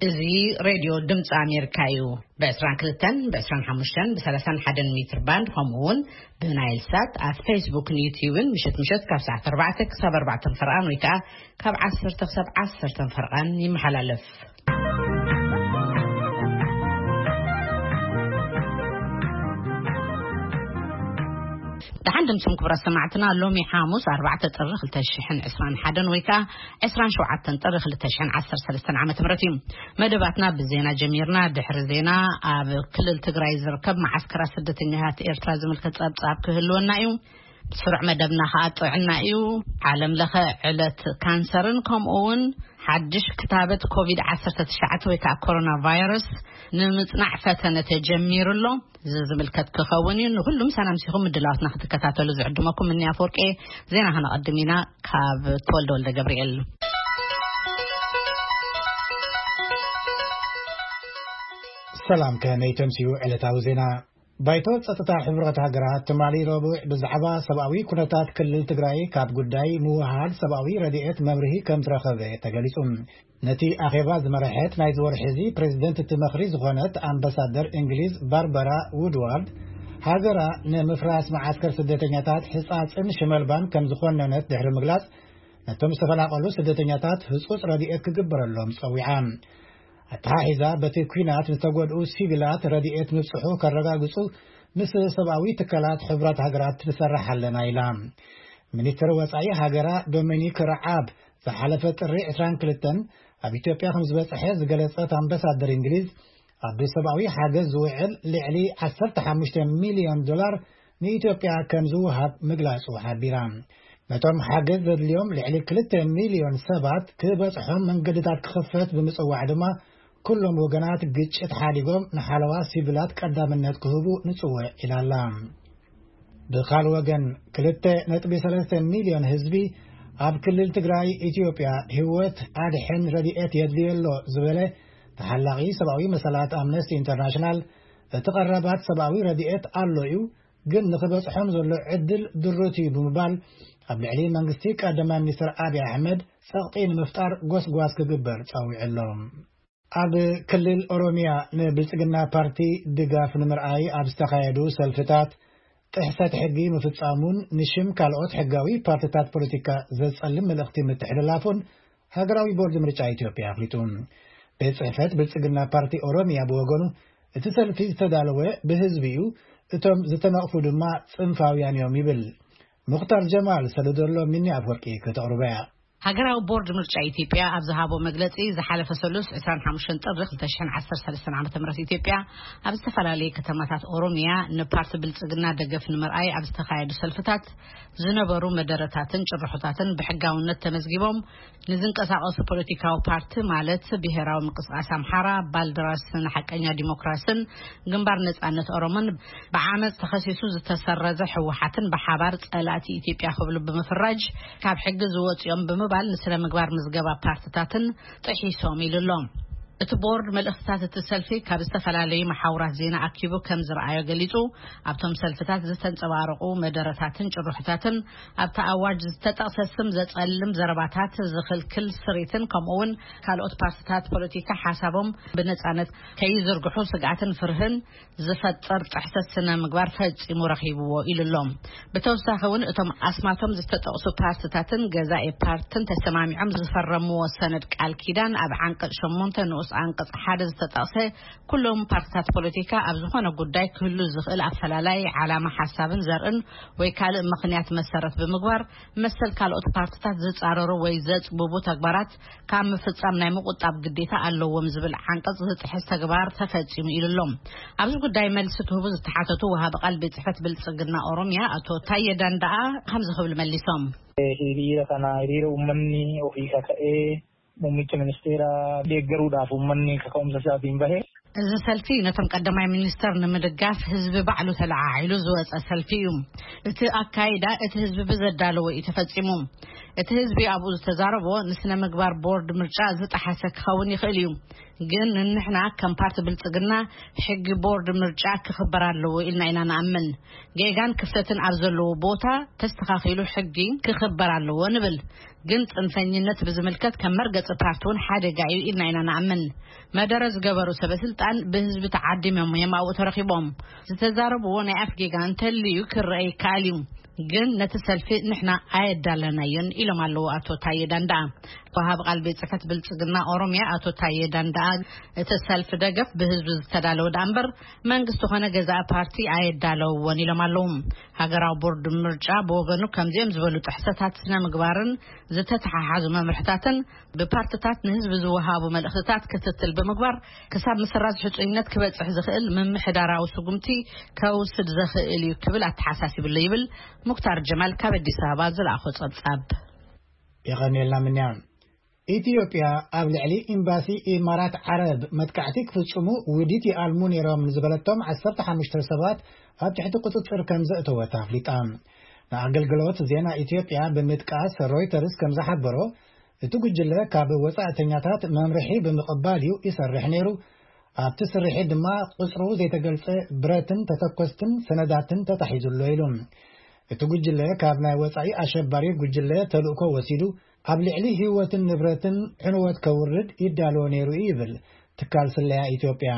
እዚ ሬድዮ ድምፂ ኣሜሪካ እዩ። ብ22፣ ብ25፣ ብ31 ሜትር ባንድ፣ ከምኡ እውን ብናይል ሳት ኣብ ፌስቡክን ዩቲዩብን ምሸት ምሸት ካብ ሰዓት ኣርባዕተ ክሳብ ኣርባዕተ ፈርቓን ወይ ከዓ ካብ ዓሰርተ ክሳብ ዓሰርተ ፈርቓን ይመሓላለፍ። ደሓን ድምፅም ክቡራት ሰማዕትና፣ ሎሚ ሓሙስ ኣርባዕተ ጥሪ ክልተ ሽሕን ዕስራን ሓደን ወይ ከዓ ዕስራን ሸውዓተን ጥሪ ክልተ ሽሕን ዓሰርተ ሰለስተን ዓመተ ምህረት እዩ። መደባትና ብዜና ጀሚርና። ድሕሪ ዜና ኣብ ክልል ትግራይ ዝርከብ መዓስከራት ስደተኛታት ኤርትራ ዝምልከት ጸብጻብ ክህልወና እዩ። ስሩዕ መደብና ከዓ ጥዕና እዩ። ዓለም ለኸ ዕለት ካንሰርን ከምኡ እውን ሓድሽ ክታበት ኮቪድ ዓሰርተ ትሽዓተ ወይ ከዓ ኮሮና ቫይረስ ንምጽናዕ ፈተነ ተጀሚሩ ኣሎ። እዚ ዝምልከት ክኸውን እዩ። ንኹሉም ሰላም ሲኹም ምድላዋትና ክትከታተሉ ዝዕድመኩም እኒ ኣፈወርቂ። ዜና ከነቐድም ኢና ካብ ተወልደ ወልደ ገብርኤል። ሰላም፣ ከመይ ተምስዩ ዕለታዊ ዜና? ባይቶ ጸጥታ ሕቡራት ሃገራት ትማሊ ረቡዕ ብዛዕባ ሰብኣዊ ኩነታት ክልል ትግራይ ካብ ጉዳይ ምውሃድ ሰብኣዊ ረድኤት መብርሂ ከም ዝረኸበ ተገሊጹ። ነቲ ኣኼባ ዝመረሐት ናይዚ ወርሒ እዚ ፕሬዚደንት እቲ መኽሪ ዝኾነት ኣምባሳደር እንግሊዝ ባርበራ ውድዋርድ፣ ሃገራ ንምፍራስ መዓስከር ስደተኛታት ሕጻጽን ሽመልባን ከም ዝኾነነት ድሕሪ ምግላጽ፣ ነቶም ዝተፈናቐሉ ስደተኛታት ህጹጽ ረድኤት ክግበረሎም ጸዊዓ። ኣተሓሒዛ በቲ ኲናት ዝተጎድኡ ሲቪላት ረድኤት ምብጽሑ ከረጋግጹ ምስ ሰብኣዊ ትካላት ሕቡራት ሃገራት ንሰርሕ ኣለና ኢላ። ሚኒስትር ወጻኢ ሃገራ ዶሚኒክ ረዓብ ዝሓለፈ ጥሪ ዕስራን ክልተን ኣብ ኢትዮጵያ ከም ዝበጽሐ ዝገለጸት ኣምባሳደር እንግሊዝ፣ ኣብ ሰብኣዊ ሓገዝ ዝውዕል ልዕሊ ዓሰርተ ሓሙሽተ ሚልዮን ዶላር ንኢትዮጵያ ከም ዝውሃብ ምግላጹ ሓቢራ። ነቶም ሓገዝ ዘድልዮም ልዕሊ ክልተ ሚልዮን ሰባት ክበጽሖም መንገድታት ክኽፈት ብምጽዋዕ ድማ፣ ኩሎም ወገናት ግጭት ሓዲጎም ንሓለዋ ሲቪላት ቀዳምነት ክህቡ ንጽውዕ ኢላ ኣላ። ብኻልእ ወገን፣ ክልተ ነጥቢ ሰለስተ ሚልዮን ህዝቢ ኣብ ክልል ትግራይ ኢትዮጵያ ህይወት ኣድሕን ረድኤት የድልዮ ኣሎ ዝበለ ተሓላቒ ሰብኣዊ መሰላት ኣምነስቲ ኢንተርናሽናል፣ እቲ ቀረባት ሰብኣዊ ረድኤት ኣሎ እዩ፣ ግን ንኽበጽሖም ዘሎ ዕድል ድሩት እዩ ብምባል፣ ኣብ ልዕሊ መንግስቲ ቀዳማይ ሚኒስትር ኣብይ ኣሕመድ ጸቕጢ ንምፍጣር ጎስጓስ ክግበር ጸዊዑ ኣሎ። ኣብ ክልል ኦሮሚያ ንብልጽግና ፓርቲ ድጋፍ ንምርኣይ ኣብ ዝተኻየዱ ሰልፍታት ጥሕሰት ሕጊ ምፍጻሙን ንሽም ካልኦት ሕጋዊ ፓርቲታት ፖለቲካ ዘጸልም መልእኽቲ ምትሕልላፉን ሃገራዊ ቦርድ ምርጫ ኢትዮጵያ ኣፍሊጡ። ቤት ጽሕፈት ብልጽግና ፓርቲ ኦሮሚያ ብወገኑ፣ እቲ ሰልፊ ዝተዳለወ ብህዝቢ እዩ፣ እቶም ዝተነቕፉ ድማ ጽንፋውያን እዮም ይብል። ሙኽታር ጀማል ሰደደሎ፣ ሚኒ ኣፍወርቂ ከተቕርቦ እያ። ሃገራዊ ቦርድ ምርጫ ኢትዮጵያ ኣብ ዝሃቦ መግለጺ፣ ዝሓለፈ ሰሉስ ዕስራን ሓሙሽተን ጥሪ ክልተ ሽሕን ዓሰርተ ሰለስተን ዓመተ ምህረት ኢትዮጵያ ኣብ ዝተፈላለዩ ከተማታት ኦሮሚያ ንፓርቲ ብልጽግና ደገፍ ንምርኣይ ኣብ ዝተኻየዱ ሰልፍታት ዝነበሩ መደረታትን ጭርሖታትን ብሕጋውነት ተመዝጊቦም ንዝንቀሳቐሱ ፖለቲካዊ ፓርቲ ማለት ብሄራዊ ምንቅስቃስ ኣምሓራ፣ ባልደራስ ንሓቀኛ ዲሞክራስን ግንባር ነጻነት ኦሮሞን ብዓመጽ ተኸሲሱ ዝተሰረዘ ህወሓትን ብሓባር ጸላእቲ ኢትዮጵያ ክብሉ ብምፍራጅ ካብ ሕጊ ዝወጽኦም ብምባል ንስነ ምግባር ምዝገባ ፓርትታትን ጥሒሶም ኢሉ ኣሎ። እቲ ቦርድ መልእኽትታት እቲ ሰልፊ ካብ ዝተፈላለዩ መሓውራት ዜና ኣኪቡ ከም ዝረኣዮ ገሊጹ፣ ኣብቶም ሰልፍታት ዝተንጸባረቑ መደረታትን ጭርሖታትን ኣብቲ ኣዋጅ ዝተጠቕሰ ስም ዘጸልም ዘረባታት ዝኽልክል ስሪትን ከምኡውን ካልኦት ፓርትታት ፖለቲካ ሓሳቦም ብነጻነት ከይዝርግሑ ስግኣትን ፍርህን ዝፈጥር ጥሕሰት ስነ ምግባር ፈጺሙ ረኺብዎ ኢሉ ኣሎ። ብተወሳኺ እውን እቶም ኣስማቶም ዝተጠቕሱ ፓርትታትን ገዛኢ ፓርትን ተሰማሚዖም ዝፈረምዎ ሰነድ ቃል ኪዳን ኣብ ዓንቀጽ ሸሞንተ ንኡስ ዓንቀጽ ሓደ ዝተጠቕሰ ኩሎም ፓርትታት ፖለቲካ ኣብ ዝኾነ ጉዳይ ክህሉ ዝኽእል ኣፈላላይ ዓላማ ሓሳብን ዘርእን ወይ ካልእ ምኽንያት መሰረት ብምግባር መሰል ካልኦት ፓርትታት ዝጻረሩ ወይ ዘጽብቡ ተግባራት ካብ ምፍጻም ናይ ምቁጣብ ግዴታ ኣለዎም ዝብል ዓንቀጽ ዝጥሕስ ተግባር ተፈጺሙ ኢሉ ኣሎ። ኣብዚ ጉዳይ መልሲ ክህቡ ዝተሓተቱ ወሃቢ ቃል ቤት ጽሕፈት ብልጽግና ኦሮሚያ ኣቶ ታየ ዳንዳኣ ከምዚ ክብል መሊሶም። Hiriira kana hiriira uummanni ofii kaka'ee muummicha ministeera deeggaruudhaaf uummanni kaka'umsa isaatiin bahe. እዚ ሰልፊ ነቶም ቀዳማይ ሚኒስተር ንምድጋፍ ህዝቢ ባዕሉ ተለዓዒሉ ዝወጸ ሰልፊ እዩ። እቲ ኣካይዳ እቲ ህዝቢ ብዘዳለዎ እዩ ተፈጺሙ። እቲ ህዝቢ ኣብኡ ዝተዛረቦ ንስነ ምግባር ቦርድ ምርጫ ዝጠሓሰ ክኸውን ይኽእል እዩ። ግን ንሕና ከም ፓርቲ ብልጽግና ሕጊ ቦርድ ምርጫ ክኽበር ኣለዎ ኢልና ኢና ንኣምን። ጌጋን ክፍተትን ኣብ ዘለዎ ቦታ ተስተኻኺሉ ሕጊ ክኽበር ኣለዎ ንብል። ግን ጽንፈኝነት ብዝምልከት ከም መርገጺ ፓርቲ እውን ሓደጋ እዩ ኢልና ኢና ንኣምን። መደረ ዝገበሩ ሰበ ስልጣን ብህዝቢ ተዓዲሞም እዮም ኣብኡ ተረኺቦም። ዝተዛረብዎ ናይ ኣፍ ጌጋ እንተልዩ ክረአ ይከኣል እዩ። ግን ነቲ ሰልፊ ንሕና ኣየዳለናዮን ኢሎም ኣለዉ ኣቶ ታየ ዳንዳ። ወሃብ ቃል ቤት ጽሕፈት ብልጽግና ኦሮሚያ ኣቶ ታየ ዳንዳ፣ እቲ ሰልፊ ደገፍ ብህዝቢ ዝተዳለወ ደኣ እምበር መንግስቲ ኾነ ገዛኢ ፓርቲ ኣየዳለውዎን ኢሎም ኣለዉ። ሃገራዊ ቦርድ ምርጫ ብወገኑ ከምዚኦም ዝበሉ ጥሕሰታት ስነ ምግባርን ዝተተሓሓዙ መምርሕታትን ብፓርትታት ንህዝቢ ዝወሃቡ መልእኽትታት ክትትል ብምግባር ክሳብ ምስራዝ ሕጹይነት ክበጽሕ ዝኽእል ምምሕዳራዊ ስጉምቲ ከውስድ ዘኽእል እዩ ክብል ኣተሓሳሲብሎ ይብል ሙክታር ጀማል ካብ ኣዲስ ኣበባ ዝለኣኾ ጸብጻብ። የቐንየልና ምንያ። ኢትዮጵያ ኣብ ልዕሊ ኤምባሲ ኢማራት ዓረብ መጥቃዕቲ ክፍጽሙ ውዲት ይኣልሙ ነይሮም ዝበለቶም ዓሰርተ ሓሙሽተ ሰባት ኣብ ትሕቲ ቁጽጽር ከም ዘእተወት ኣፍሊጣ። ንኣገልግሎት ዜና ኢትዮጵያ ብምጥቃስ ሮይተርስ ከም ዝሓበሮ፣ እቲ ጉጅለ ካብ ወጻእተኛታት መምርሒ ብምቕባል እዩ ይሰርሕ ነይሩ። ኣብቲ ስርሒት ድማ ቁጽሩ ዘይተገልጸ ብረትን ተተኮስትን ሰነዳትን ተታሒዙ ኣሎ ኢሉ። እቲ ጉጅለ ካብ ናይ ወጻኢ ኣሸባሪ ጉጅለ ተልእኮ ወሲዱ ኣብ ልዕሊ ህይወትን ንብረትን ዕንወት ከውርድ ይዳሎ ነይሩ እዩ ይብል ትካል ስለያ ኢትዮጵያ።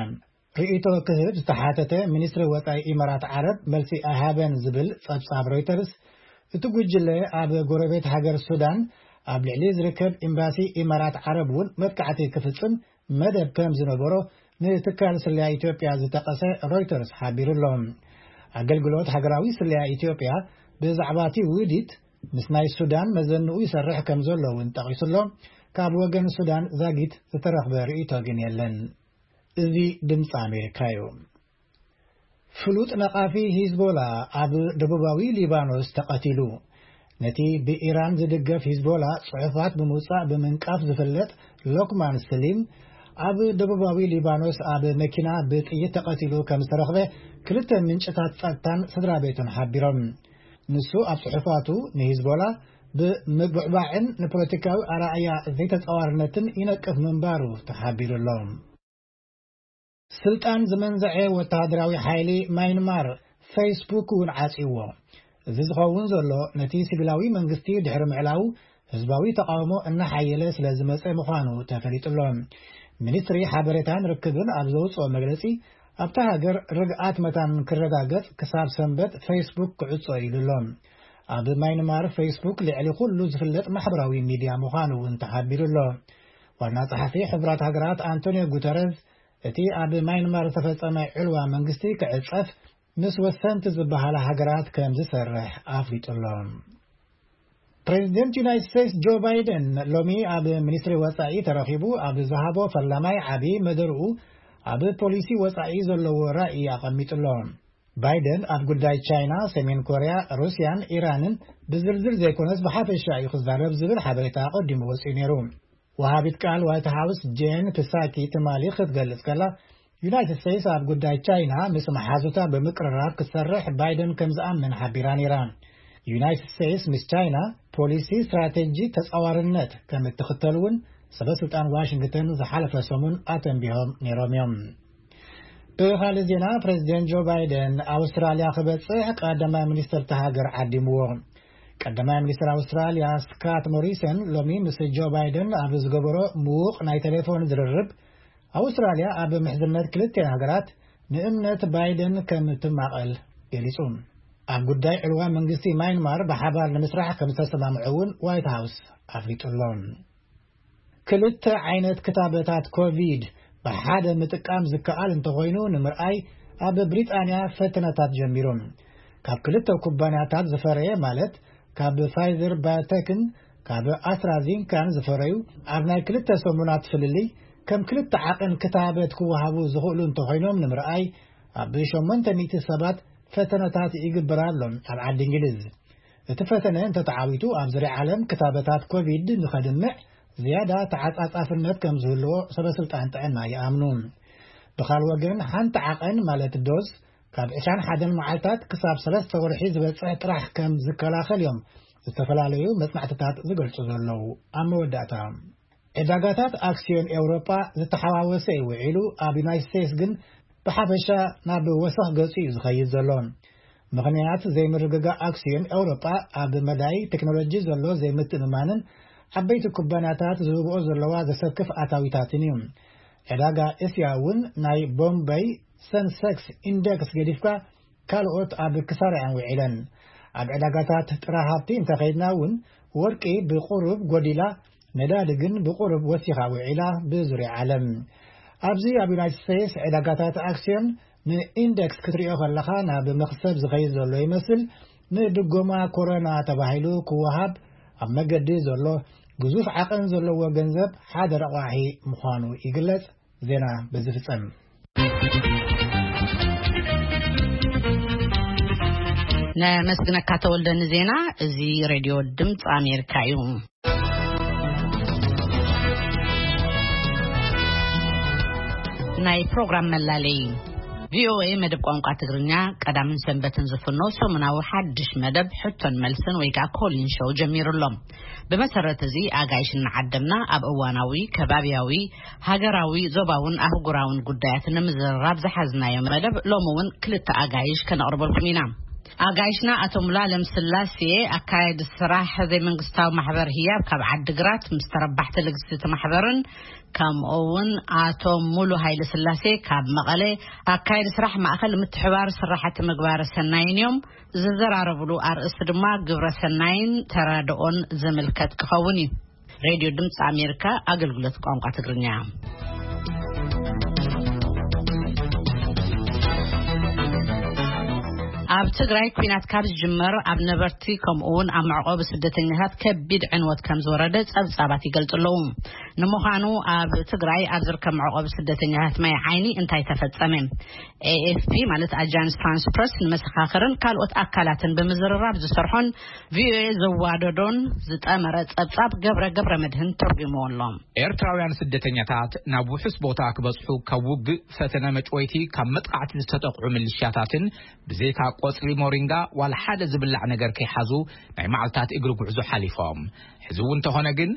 ርእይቶ ክህብ ዝተሓተተ ሚኒስትሪ ወጻኢ ኢማራት ዓረብ መልሲ ኣይሃበን ዝብል ጸብጻብ ሮይተርስ፣ እቲ ጉጅለ ኣብ ጎረቤት ሃገር ሱዳን ኣብ ልዕሊ ዝርከብ ኤምባሲ ኢማራት ዓረብ እውን መጥቃዕቲ ክፍጽም መደብ ከም ዝነበሮ ንትካል ስለያ ኢትዮጵያ ዝጠቀሰ ሮይተርስ ሓቢሩ ኣሎ። ኣገልግሎት ሃገራዊ ስለያ ኢትዮጵያ ብዛዕባ እቲ ውዲት ምስ ናይ ሱዳን መዘንኡ ይሰርሕ ከም ዘሎ እውን ጠቒሱ ኣሎ። ካብ ወገን ሱዳን ዛጊት ዝተረኽበ ርእይቶ ግን የለን። እዚ ድምፂ ኣሜሪካ እዩ። ፍሉጥ ነቓፊ ሂዝቦላ ኣብ ደቡባዊ ሊባኖስ ተቐቲሉ። ነቲ ብኢራን ዝድገፍ ሂዝቦላ ጽሑፋት ብምውጻእ ብምንቃፍ ዝፍለጥ ሎክማን ስሊም፣ ኣብ ደቡባዊ ሊባኖስ ኣብ መኪና ብጥይት ተቐቲሉ ከም ዝተረኽበ ክልተ ምንጭታት ጸጥታን ስድራ ቤቱን ሓቢሮም። ንሱ ኣብ ጽሑፋቱ ንሂዝቦላ ብምብዕባዕን ንፖለቲካዊ ኣረኣእያ ዘይተጻዋርነትን ይነቅፍ ምንባሩ ተሓቢሩ ኣሎ። ስልጣን ዝመንዘዐ ወተሃደራዊ ሓይሊ ማይንማር ፌስቡክ እውን ዓጽይዎ። እዚ ዝኸውን ዘሎ ነቲ ሲቪላዊ መንግስቲ ድሕሪ ምዕላው ህዝባዊ ተቓውሞ እናሓየለ ስለ ዝመጸ ምዃኑ ተፈሊጡ ኣሎ። ሚኒስትሪ ሓበሬታን ርክብን ኣብ ዘውጽኦ መግለጺ፣ ኣብታ ሃገር ርግኣት መታን ክረጋገጽ ክሳብ ሰንበት ፌስቡክ ክዕጾ ኢሉ ኣሎ። ኣብ ማይንማር ፌስቡክ ልዕሊ ኩሉ ዝፍለጥ ማሕበራዊ ሚድያ ምዃኑ እውን ተሓቢሩ ኣሎ። ዋና ጸሓፊ ሕቡራት ሃገራት ኣንቶኒዮ ጉተረዝ፣ እቲ ኣብ ማይንማር ዝተፈጸመ ዕልዋ መንግስቲ ክዕጸፍ ምስ ወሰንቲ ዝበሃላ ሃገራት ከም ዝሰርሕ ኣፍሊጡ ኣሎ። ፕሬዚደንት ዩናይትድ ስቴትስ ጆ ባይደን ሎሚ ኣብ ሚኒስትሪ ወጻኢ ተረኺቡ ኣብ ዝሃቦ ፈላማይ ዓቢ መደርኡ ኣብ ፖሊሲ ወጻኢ ዘለዎ ራእይ ኣቐሚጡ ኣሎ። ባይደን ኣብ ጉዳይ ቻይና፣ ሰሜን ኮርያ፣ ሩስያን ኢራንን ብዝርዝር ዘይኮነስ ብሓፈሻ እዩ ክዛረብ ዝብል ሓበሬታ ኣቐዲሙ ወጺኡ ነይሩ። ወሃቢት ቃል ዋይት ሃውስ ጄን ፕሳኪ ትማሊ ክትገልጽ ከላ፣ ዩናይትድ ስቴትስ ኣብ ጉዳይ ቻይና ምስ መሓዙታ ብምቅርራብ ክትሰርሕ ባይደን ከም ዝኣምን ሓቢራ ነይራ። ዩናይትድ ስቴትስ ምስ ቻይና ፖሊሲ ስትራቴጂ ተጻዋርነት ከም እትኽተል እውን ሰበ ስልጣን ዋሽንግተን ዝሓለፈ ሰሙን ኣተንቢሆም ነይሮም እዮም። ብኻልእ ዜና፣ ፕሬዚደንት ጆ ባይደን ኣውስትራልያ ክበጽሕ ቀዳማይ ሚኒስትር እታ ሃገር ዓዲምዎ። ቀዳማይ ሚኒስትር ኣውስትራልያ ስካት ሞሪሰን ሎሚ ምስ ጆ ባይደን ኣብ ዝገበሮ ምዉቕ ናይ ቴሌፎን ዝርርብ፣ ኣውስትራልያ ኣብ ምሕዝነት ክልቲኣን ሃገራት ንእምነት ባይደን ከም ትማቐል ገሊጹ። ኣብ ጉዳይ ዕልዋ መንግስቲ ማይንማር ብሓባር ንምስራሕ ከም ዝተሰማምዑ እውን ዋይት ሃውስ ኣፍሊጡ ኣሎ። ክልተ ዓይነት ክታበታት ኮቪድ ብሓደ ምጥቃም ዝከኣል እንተኾይኑ ንምርኣይ ኣብ ብሪጣንያ ፈተነታት ጀሚሩ። ካብ ክልተ ኩባንያታት ዝፈረየ፣ ማለት ካብ ፋይዘር ባዮቴክን ካብ ኣስትራዚንካን ዝፈረዩ፣ ኣብ ናይ ክልተ ሰሙናት ፍልልይ ከም ክልተ ዓቐን ክታበት ክወሃቡ ዝኽእሉ እንተኾይኖም ንምርኣይ ኣብ ሸሞንተ ሚእቲ ሰባት ፈተነታት ይግበር ኣሎ ኣብ ዓዲ እንግሊዝ። እቲ ፈተነ እንተተዓዊቱ ኣብ ዙርያ ዓለም ክታበታት ኮቪድ ንኸድምዕ ዝያዳ ተዓጻጻፍነት ከም ዝህልዎ ሰበ ስልጣን ጥዕና ይኣምኑ። ብኻል ወገን ሓንቲ ዓቐን ማለት ዶዝ ካብ ዕስራን ሓደን መዓልታት ክሳብ ሰለስተ ወርሒ ዝበጽሕ ጥራሕ ከም ዝከላኸል እዮም ዝተፈላለዩ መጽናዕትታት ዝገልጹ ዘለዉ። ኣብ መወዳእታ ዕዳጋታት ኣክሲዮን ኤውሮጳ ዝተሓዋወሰ እዩ ውዒሉ፣ ኣብ ዩናይትድ ስቴትስ ግን ብሓፈሻ ናብ ወሰኽ ገጹ እዩ ዝኸይድ ዘሎ። ምኽንያት ዘይምርግጋእ ኣክሲዮን ኤውሮጳ ኣብ መዳይ ቴክኖሎጂ ዘሎ ዘይምትእምማንን ዓበይቲ ኩባንያታት ዝህብኦ ዘለዋ ዘሰክፍ ኣታዊታትን እዩ። ዕዳጋ እስያ እውን ናይ ቦምበይ ሰንሰክስ ኢንደክስ ገዲፍካ ካልኦት ኣብ ክሳራ እየን ውዒለን። ኣብ ዕዳጋታት ጥረ ሃብቲ እንተኸይድና እውን ወርቂ ብቁሩብ ጎዲላ፣ ነዳዲ ግን ብቁሩብ ወሲኻ ውዒላ። ብዙርያ ዓለም ኣብዚ ኣብ ዩናይትድ ስቴትስ ዕዳጋታት ኣክሲዮን ንኢንደክስ ክትሪኦ ከለኻ ናብ መኽሰብ ዝኸይድ ዘሎ ይመስል። ንድጎማ ኮሮና ተባሂሉ ክወሃብ ኣብ መገዲ ዘሎ ግዙፍ ዓቐን ዘለዎ ገንዘብ ሓደ ረቋሒ ምዃኑ ይግለጽ። ዜና በዚ ፍጸም። ነመስግነካ ተወልደ ንዜና። እዚ ሬድዮ ድምፂ ኣሜሪካ እዩ። ናይ ፕሮግራም መላለይ። ቪኦኤ መደብ ቋንቋ ትግርኛ ቀዳምን ሰንበትን ዝፍኖ ሰሙናዊ ሓድሽ መደብ ሕቶን መልስን ወይ ከዓ ኮሊን ሾው ጀሚሩ ኣሎ። ብመሰረት እዚ ኣጋይሽ እናዓደምና ኣብ እዋናዊ፣ ከባብያዊ፣ ሃገራዊ፣ ዞባውን ኣህጉራውን ጉዳያት ንምዝርራብ ዝሓዝናዮ መደብ ሎሚ እውን ክልተ ኣጋይሽ ከነቕርበልኩም ኢና። ኣጋይሽና ኣቶ ሙሉኣለም ስላሴ፣ ኣካያዲ ስራሕ ዘይመንግስታዊ ማሕበር ህያብ ካብ ዓዲግራት፣ ምስ ተረባሕቲ ልግሲ እቲ ማሕበርን፣ ከምኡ እውን ኣቶ ሙሉ ሃይለ ስላሴ ካብ መቐለ፣ ኣካያዲ ስራሕ ማእኸል ምትሕባር ስራሕቲ ምግባረ ሰናይን እዮም። ዝዘራረብሉ ኣርእስቲ ድማ ግብረ ሰናይን ተራድኦን ዝምልከት ክኸውን እዩ። ሬድዮ ድምፂ ኣሜሪካ ኣገልግሎት ቋንቋ ትግርኛ። ኣብ ትግራይ ኲናት ካብ ዝጅመር ኣብ ነበርቲ ከምኡ እውን ኣብ መዕቆቢ ስደተኛታት ከቢድ ዕንወት ከም ዝወረደ ጸብጻባት ይገልጹ ኣለዉ። ንምዃኑ ኣብ ትግራይ ኣብ ዝርከብ መዕቆቢ ስደተኛታት ማይ ዓይኒ እንታይ ተፈጸመ? ኤኤፍፒ ማለት ኣጃንስ ፍራንስ ፕረስ ንመሰኻኽርን ካልኦት ኣካላትን ብምዝርራብ ዝሰርሖን ቪኦኤ ዘዋደዶን ዝጠመረ ጸብጻብ ገብረ ገብረ መድህን ተርጉምዎ ኣሎ። ኤርትራውያን ስደተኛታት ናብ ውሑስ ቦታ ክበጽሑ ካብ ውግእ፣ ፈተነ መጭወይቲ፣ ካብ መጥቃዕቲ ዝተጠቕዑ ምልሻታትን ብዘይካ ቆጽሊ ሞሪንጋ ዋላ ሓደ ዝብላዕ ነገር ከይሓዙ ናይ መዓልታት እግሪ ጉዕዞ ሓሊፎም። ሕዚ እውን እንተኾነ ግን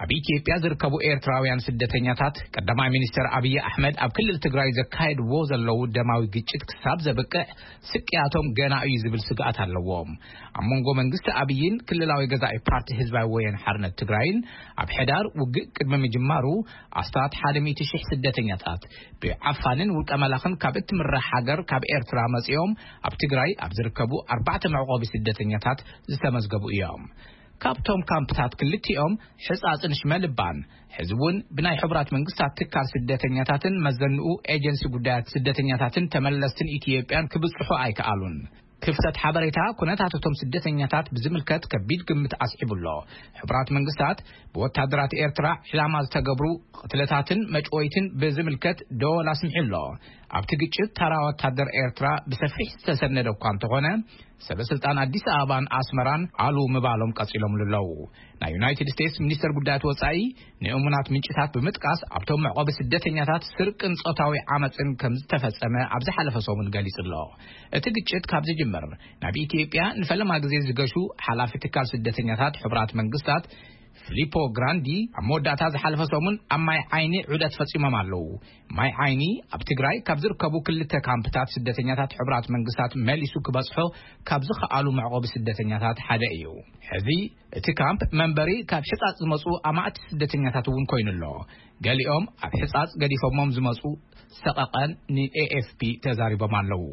ኣብ ኢትዮጵያ ዝርከቡ ኤርትራውያን ስደተኛታት ቀዳማይ ሚኒስትር ኣብይ ኣሕመድ ኣብ ክልል ትግራይ ዘካየድዎ ዘለዉ ደማዊ ግጭት ክሳብ ዘብቅዕ ስቅያቶም ገና እዩ ዝብል ስግኣት ኣለዎም። ኣብ መንጎ መንግስቲ ኣብይን ክልላዊ ገዛኢ ፓርቲ ህዝባዊ ወያነ ሓርነት ትግራይን ኣብ ሕዳር ውግእ ቅድሚ ምጅማሩ ኣስታት ሓደ ሚእቲ ሺሕ ስደተኛታት ብዓፋንን ውልቀ መላኽን ካብ እትምራሕ ሃገር ካብ ኤርትራ መጺኦም ኣብ ትግራይ ኣብ ዝርከቡ ኣርባዕተ መዕቆቢ ስደተኛታት ዝተመዝገቡ እዮም። ካብቶም ካምፕታት ክልቲኦም ሕጻጽን ሽመልባን ሕዚ እውን ብናይ ሕቡራት መንግስታት ትካል ስደተኛታትን መዘንኡ ኤጀንሲ ጉዳያት ስደተኛታትን ተመለስትን ኢትዮጵያን ክብጽሑ ኣይከኣሉን። ክፍተት ሓበሬታ ኩነታት እቶም ስደተኛታት ብዝምልከት ከቢድ ግምት ኣስዒቡ ኣሎ። ሕቡራት መንግስታት ብወታደራት ኤርትራ ዕላማ ዝተገብሩ ቅትለታትን መጭወይትን ብዝምልከት ደወል ኣስሚዑ ኣሎ። ኣብቲ ግጭት ተራ ወታደር ኤርትራ ብሰፊሕ ዝተሰነደ እኳ እንተኾነ፣ ሰበ ስልጣን ኣዲስ ኣበባን ኣስመራን ኣሉ ምባሎም ቀጺሎምሉ ኣለዉ። ናይ ዩናይትድ ስቴትስ ሚኒስተር ጉዳያት ወጻኢ ንእሙናት ምንጭታት ብምጥቃስ ኣብቶም መዕቆቢ ስደተኛታት ስርቅን ጾታዊ ዓመጽን ከም ዝተፈጸመ ኣብ ዝሓለፈ ሰሙን ገሊጹ ኣሎ። እቲ ግጭት ካብ ዝጅምር ናብ ኢትዮጵያ ንፈለማ ግዜ ዝገሹ ሓላፊ ትካል ስደተኛታት ሕቡራት መንግስታት ፊሊፖ ግራንዲ ኣብ መወዳእታ ዝሓለፈ ሰሙን ኣብ ማይ ዓይኒ ዑደት ፈጺሞም ኣለዉ። ማይ ዓይኒ ኣብ ትግራይ ካብ ዝርከቡ ክልተ ካምፕታት ስደተኛታት ሕቡራት መንግስታት መሊሱ ክበጽሖ ካብ ዝኸኣሉ መዕቆቢ ስደተኛታት ሓደ እዩ። ሕዚ እቲ ካምፕ መንበሪ ካብ ሕጻጽ ዝመጹ ኣማእቲ ስደተኛታት እውን ኮይኑ ኣሎ። ገሊኦም ኣብ ሕጻጽ ገዲፎሞም ዝመጹ ሰቐቐን ንኤኤፍፒ ተዛሪቦም ኣለዉ።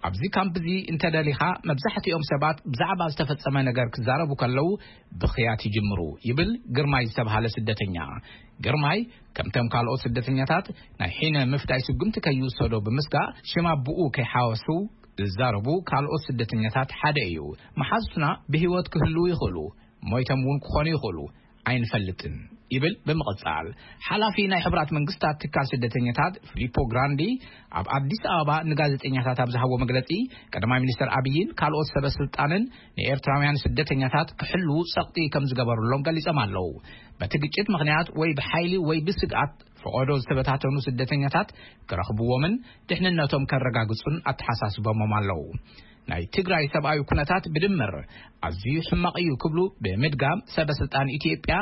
ኣብዚ ካምፕ እዚ እንተደሊኻ፣ መብዛሕትኦም ሰባት ብዛዕባ ዝተፈጸመ ነገር ክዛረቡ ከለዉ ብኽያት ይጅምሩ፣ ይብል ግርማይ ዝተባህለ ስደተኛ። ግርማይ፣ ከምቶም ካልኦት ስደተኛታት፣ ናይ ሒነ ምፍዳይ ስጉምቲ ከይውሰዶ ብምስጋእ፣ ሽም ኣቦኡ ከይሓወሱ ዝዛረቡ ካልኦት ስደተኛታት ሓደ እዩ። መሓዙትና ብህይወት ክህልዉ ይኽእሉ፣ ሞይቶም እውን ክኾኑ ይኽእሉ፣ ኣይንፈልጥን፣ ይብል ብምቕጻል። ሓላፊ ናይ ሕቡራት መንግስታት ትካል ስደተኛታት ፊሊፖ ግራንዲ ኣብ ኣዲስ ኣበባ ንጋዜጠኛታት ኣብ ዝሃቦ መግለጺ፣ ቀዳማይ ሚኒስተር ኣብይን ካልኦት ሰበ ስልጣንን ንኤርትራውያን ስደተኛታት ክሕልዉ ጸቕጢ ከም ዝገበሩሎም ገሊጾም ኣለዉ። በቲ ግጭት ምኽንያት ወይ ብሓይሊ ወይ ብስግኣት ፈቐዶ ዝተበታተኑ ስደተኛታት ክረኽብዎምን ድሕንነቶም ከረጋግጹን ኣተሓሳስቦሞም ኣለዉ። ናይ ትግራይ ሰብኣዊ ኩነታት ብድምር ኣዝዩ ሕማቕ እዩ ክብሉ ብምድጋም፣ ሰበ ስልጣን ኢትዮጵያ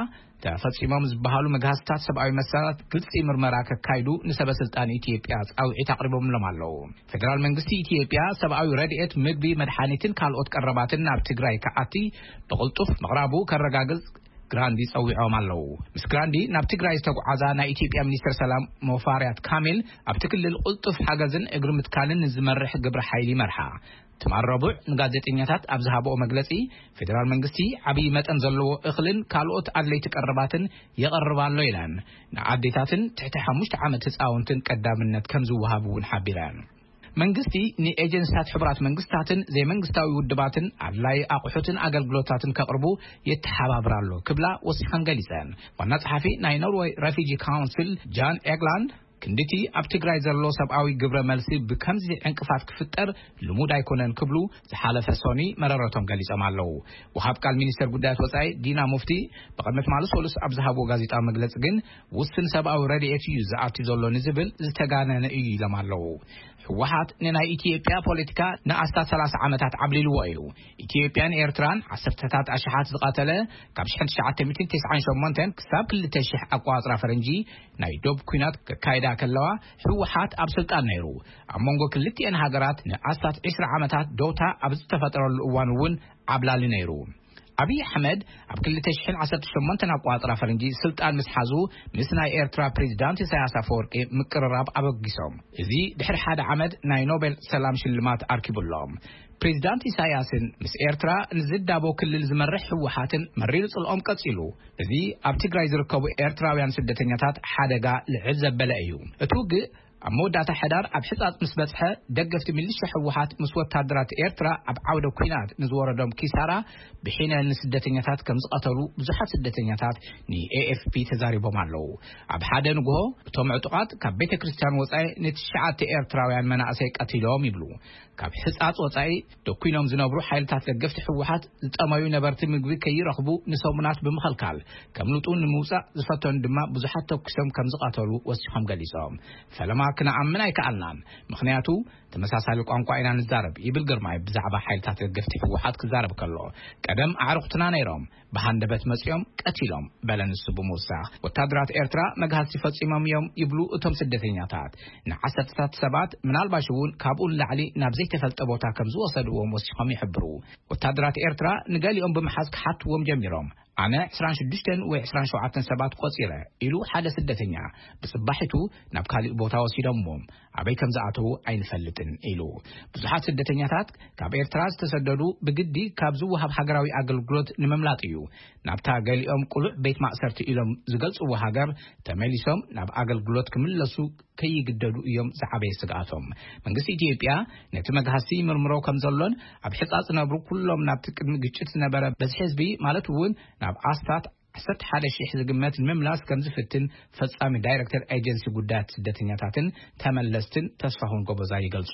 ተፈጺሞም ዝበሃሉ መግሃስታት ሰብኣዊ መሰላት ግልጺ ምርመራ ከካይዱ ንሰበ ስልጣን ኢትዮጵያ ጻውዒት ኣቕሪቦምሎም ኣለዉ። ፌደራል መንግስቲ ኢትዮጵያ ሰብኣዊ ረድኤት፣ ምግቢ፣ መድሓኒትን ካልኦት ቀረባትን ናብ ትግራይ ክኣቲ ብቕልጡፍ ምቕራቡ ከረጋግጽ ግራንዲ ጸዊዖም ኣለዉ። ምስ ግራንዲ ናብ ትግራይ ዝተጓዓዛ ናይ ኢትዮጵያ ሚኒስትር ሰላም ሙፈሪያት ካሚል፣ ኣብቲ ክልል ቅልጡፍ ሓገዝን እግሪ ምትካልን ንዝመርሕ ግብረ ሓይሊ ይመርሓ። ትማል ረቡዕ ንጋዜጠኛታት ኣብ ዝሃብኦ መግለጺ፣ ፌደራል መንግስቲ ዓብዪ መጠን ዘለዎ እኽልን ካልኦት ኣድለይቲ ቀረባትን የቐርብ ኣሎ ኢለን። ንኣዴታትን ትሕቲ ሓሙሽተ ዓመት ህፃውንትን ቀዳምነት ከም ዝወሃብ እውን ሓቢረን። መንግስቲ ንኤጀንሲታት ሕቡራት መንግስታትን ዘይመንግስታዊ ውድባትን ኣድላይ ኣቑሑትን ኣገልግሎታትን ከቕርቡ የተሓባብር ኣሎ ክብላ ወሲኸን ገሊጸን። ዋና ጸሓፊ ናይ ኖርወይ ረፊጂ ካውንስል ጃን ኤግላንድ፣ ክንድቲ ኣብ ትግራይ ዘሎ ሰብኣዊ ግብረ መልሲ ብከምዚ ዕንቅፋት ክፍጠር ልሙድ ኣይኮነን ክብሉ ዝሓለፈ ሶኒ መረረቶም ገሊጾም ኣለዉ። ወሃብ ቃል ሚኒስተር ጉዳያት ወጻኢ ዲና ሙፍቲ ብቕድሚ ትማሊ ሰሉስ ኣብ ዝሃብዎ ጋዜጣዊ መግለጺ ግን፣ ውስን ሰብኣዊ ረድኤት እዩ ዝኣቲ ዘሎ ንዝብል ዝተጋነነ እዩ ኢሎም ኣለዉ። ህወሓት ንናይ ኢትዮጵያ ፖለቲካ ንኣስታት ሰላሳ ዓመታት ዓብሊልዎ እዩ። ኢትዮጵያን ኤርትራን ዓሰርተታት ኣሽሓት ዝቐተለ፣ ካብ ሽሕን ትሽዓተ ሚእትን ተስዓን ሸሞንተን ክሳብ ክልተ ሽሕ ኣቋጽራ ፈረንጂ ናይ ዶብ ኲናት ከካይዳ ከለዋ፣ ህወሓት ኣብ ስልጣን ነይሩ። ኣብ መንጎ ክልቲኤን ሃገራት ንኣስታት ዕስራ ዓመታት ደውታ ኣብ ዝተፈጠረሉ እዋን እውን ዓብላሊ ነይሩ። ኣብይ ኣሕመድ ኣብ ክልተ ሽሕን ዓሰርተ ሸሞንተን ኣቋጽራ ፈረንጂ ስልጣን ምስ ሓዙ፣ ምስ ናይ ኤርትራ ፕሬዚዳንት ኢሳያስ ኣፈወርቂ ምቅርራብ ኣበጊሶም። እዚ ድሕሪ ሓደ ዓመት ናይ ኖቤል ሰላም ሽልማት ኣርኪቡሎም። ፕሬዚዳንት ኢሳያስን ምስ ኤርትራ ንዝዳቦ ክልል ዝመርሕ ህወሓትን መሪር ጽልኦም ቀጺሉ። እዚ ኣብ ትግራይ ዝርከቡ ኤርትራውያን ስደተኛታት ሓደጋ ልዕል ዘበለ እዩ። እቲ ውግእ ኣብ መወዳእታ ሕዳር ኣብ ሕጻጽ ምስ በጽሐ፣ ደገፍቲ ሚሊሻ ህወሓት ምስ ወታደራት ኤርትራ ኣብ ዓውደ ኲናት ንዝወረዶም ኪሳራ ብሒነ ንስደተኛታት ከም ዝቐተሉ ብዙሓት ስደተኛታት ንኤኤፍፒ ተዛሪቦም ኣለዉ። ኣብ ሓደ ንግሆ፣ እቶም ዕጡቓት ካብ ቤተ ክርስቲያን ወጻኢ ንትሽዓተ ኤርትራውያን መናእሰይ ቀቲሎም ይብሉ። ካብ ሕጻጽ ወጻኢ ደኲኖም ዝነብሩ ሓይልታት ደገፍቲ ህወሓት ዝጠመዩ ነበርቲ ምግቢ ከይረኽቡ ንሰሙናት ብምኽልካል፣ ከምልጡ ንምውጻእ ዝፈተኑ ድማ ብዙሓት ተኩሶም ከም ዝቐተሉ ወሲኾም ገሊጾም። ፈለማ ክንኣምን ኣይከኣልናን፣ ምኽንያቱ ተመሳሳሊ ቋንቋ ኢና ንዛረብ፣ ይብል ግርማይ ብዛዕባ ሓይልታት ደገፍቲ ህወሓት ክዛረብ ከሎ። ቀደም ኣዕሩኽትና ነይሮም፣ ብሃንደበት መጺኦም ቀቲሎም፣ በለ ንሱ ብምውሳኽ። ወታደራት ኤርትራ መግሃስቲ ፈጺሞም እዮም ይብሉ እቶም ስደተኛታት። ንዓሰርተታት ሰባት፣ ምናልባሽ እውን ካብኡ ንላዕሊ ናብ ዘይተፈልጠ ቦታ ከም ዝወሰድዎም ወሲኾም ይሕብሩ። ወታደራት ኤርትራ ንገሊኦም ብምሓዝ ክሓትዎም ጀሚሮም። ኣነ ዕስራን ሽዱሽተን ወይ ዕስራን ሸውዓተን ሰባት ቆጺረ፣ ኢሉ ሓደ ስደተኛ። ብጽባሒቱ ናብ ካሊእ ቦታ ወሲዶምዎም፣ ኣበይ ከም ዝኣተዉ ኣይንፈልጥን፣ ኢሉ። ብዙሓት ስደተኛታት ካብ ኤርትራ ዝተሰደዱ ብግዲ ካብ ዝወሃብ ሃገራዊ ኣገልግሎት ንምምላጥ እዩ ናብታ ገሊኦም ቅሉዕ ቤት ማእሰርቲ ኢሎም ዝገልጽዎ ሃገር ተመሊሶም ናብ ኣገልግሎት ክምለሱ ከይግደዱ እዮም ዝዓበየ ስግኣቶም። መንግስቲ ኢትዮጵያ ነቲ መግሃስቲ ይምርምሮ ከም ዘሎን ኣብ ሕጻጽ ዝነብሩ ኩሎም ናብቲ ቅድሚ ግጭት ዝነበረ በዝሒ ህዝቢ፣ ማለት እውን ናብ ኣስታት ዓሰርተ ሓደ ሽሕ ዝግመት ንምምላስ ከም ዝፍትን ፈጻሚ ዳይሬክተር ኤጀንሲ ጉዳያት ስደተኛታትን ተመለስትን ተስፋሁን ጎበዛ ይገልጹ።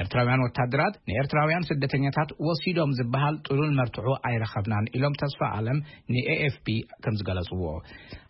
ኤርትራውያን ወታደራት ንኤርትራውያን ስደተኛታት ወሲዶም ዝበሃል ጥሉል መርትዖ ኣይረኸብናን ኢሎም ተስፋ ኣለም ንኤኤፍፒ ከም ዝገለጽዎ።